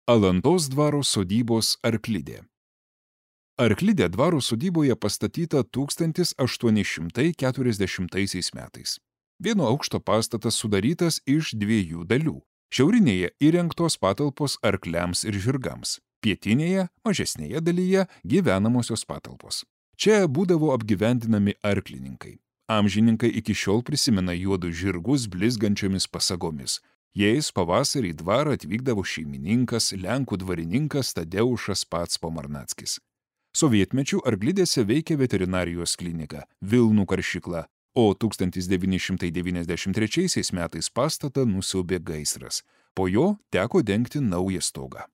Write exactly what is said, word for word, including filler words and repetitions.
Alantos dvaro sodybos Arklidė. Arklidė dvaro sodyboje pastatyta tūkstantis aštuoni šimtai keturiasdešimtaisiais metais. Vieno aukšto pastatas sudarytas iš dviejų dalių. Šiaurinėje įrengtos patalpos arkliams ir žirgams. Pietinėje, mažesnėje dalyje gyvenamosios patalpos. Čia būdavo apgyvendinami arklininkai. Amžininkai iki šiol prisimena juodus žirgus blizgančiomis pasagomis. Jais pavasarį į dvarą atvykdavo šeimininkas, lenkų dvarininkas Tadeušas pats Pomarnackis. Sovietmečiu Arklidėse veikė veterinarijos klinika, Vilnų karšykla, o tūkstantis devyni šimtai devyniasdešimt trečiaisiais metais pastatą nusiaubė gaisras. Po jo teko dengti naują stogą.